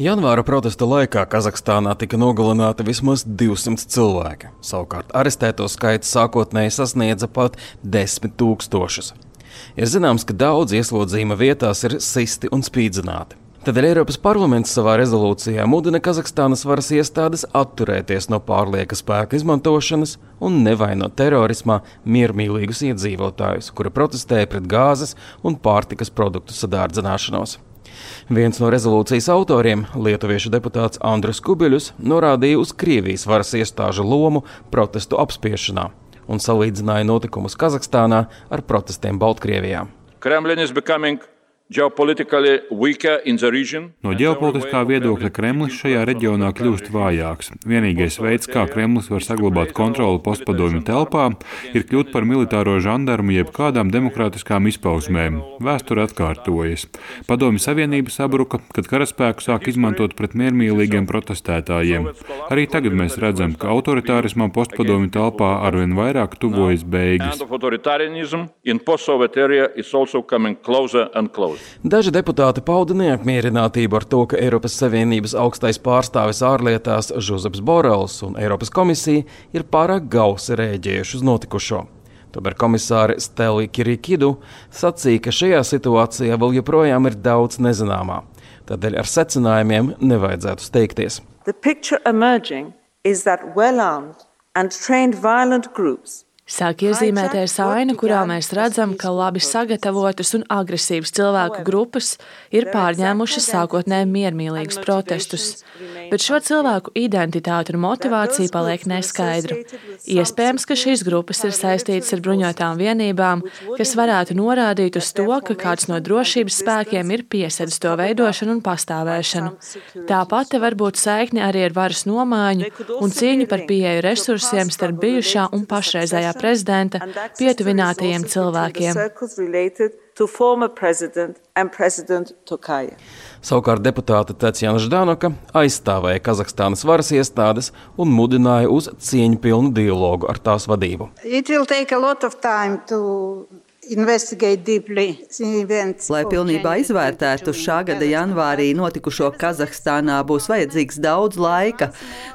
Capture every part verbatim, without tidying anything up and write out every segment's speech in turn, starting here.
Janvāra protesta laikā Kazahstānā tika nogalināti vismaz divsimt cilvēki. Savukārt arestēto skaits sākotnēji sasniedza pat desmit tūkstošus. Ir zināms, ka daudz ieslodzījuma vietās ir sisti un spīdzināti. Tādēļ Eiropas parlaments savā rezolūcijā mudina Kazahstānas varas iestādes atturēties no pārlieka spēka izmantošanas un nevainot terorismā miermīlīgus iedzīvotājus, kuri protestēja pret gāzes un pārtikas produktu sadārdzināšanos. Viens no rezolūcijas autoriem, lietuviešu deputāts Andris Kubiļus, norādīja uz Krievijas varas iestāžu lomu protestu apspiešanā un salīdzināja notikumus Kazahstānā ar protestiem Baltkrievijā. Kremlin is becoming No ģeopolitiskā viedokļa Kremlis šajā reģionā kļūst vājāks. Vienīgais veids, kā Kremlis var saglabāt kontroli postpadomju telpā, ir kļūt par militāro žandarmu jeb kādām demokrātiskām izpausmēm. Vēsture atkārtojas. Padomju Savienība sabruka, kad karaspēku sāk izmantot pret miermīlīgiem protestētājiem. Arī tagad mēs redzam, ka autoritārismam postpadomju telpā arvien vairāk tuvojas beigas. Daži deputāti pauda neapmierinātību ar to, ka Eiropas Savienības augstais pārstāvis ārlietās Žozeps Borels un Eiropas komisija ir pārāk gausi rēģējuši uz notikušo. Tomēr komisāre Steli Kyriakidu sacīja, ka šajā situācijā vēl joprojām ir daudz nezināmā. Tādēļ ar secinājumiem nevajadzētu steigties. The picture emerging is that well-armed and trained violent groups Sāk iezīmēties aina, kurā mēs redzam, ka labi sagatavotas un agresīvas cilvēku grupas ir pārņēmušas sākotnēji miermīlīgus protestus. Bet šo cilvēku identitāte un motivācija paliek neskaidra. Iespējams, ka šīs grupas ir saistītas ar bruņotām vienībām, kas varētu norādīt uz to, ka kāds no drošības spēkiem ir piesedis to veidošanu un pastāvēšanu. Tāpat te var būt saikne arī ar varas nomaiņu un cīņu par pieeju resursiem starp bijušā un pašreizējā prezidenta pietuvinātajiem cilvēkiem. Savukārt deputāte Tatjana Ždanoka aizstāvēja Kazahstānas varas iestādes un mudināja uz cieņpilnu dialogu ar tās vadību. Lai pilnībā izvērtētu šā gada janvārī notikušo Kazahstānā, būs vajadzīgs daudz laika.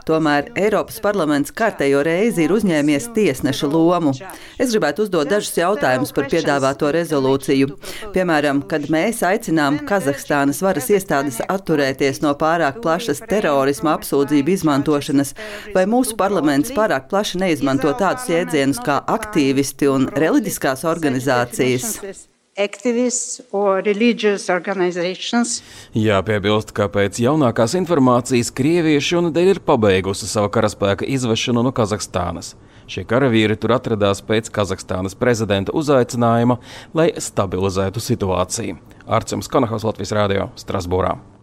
Tomēr Eiropas parlaments kārtējo reizi ir uzņēmies tiesneša lomu. Es gribētu uzdot dažus jautājumus par piedāvāto rezolūciju. Piemēram, kad mēs aicinām Kazahstānas varas iestādes atturēties no pārāk plašas terorisma apsūdzību izmantošanas, vai mūsu parlaments pārāk plaši neizmanto tādus jēdzienus kā aktīvisti un reliģiskās organizācijas? Jāpiebilst, ka pēc jaunākās informācijas Krievija šonedēļ ir pabeigusi savu karaspēka izvešanu no Kazahstānas. Šie karavīri tur atradās pēc Kazahstānas prezidenta uzaicinājuma, lai stabilizētu situāciju. Arcums Konahaus, Latvijas radio, Strasbūrā.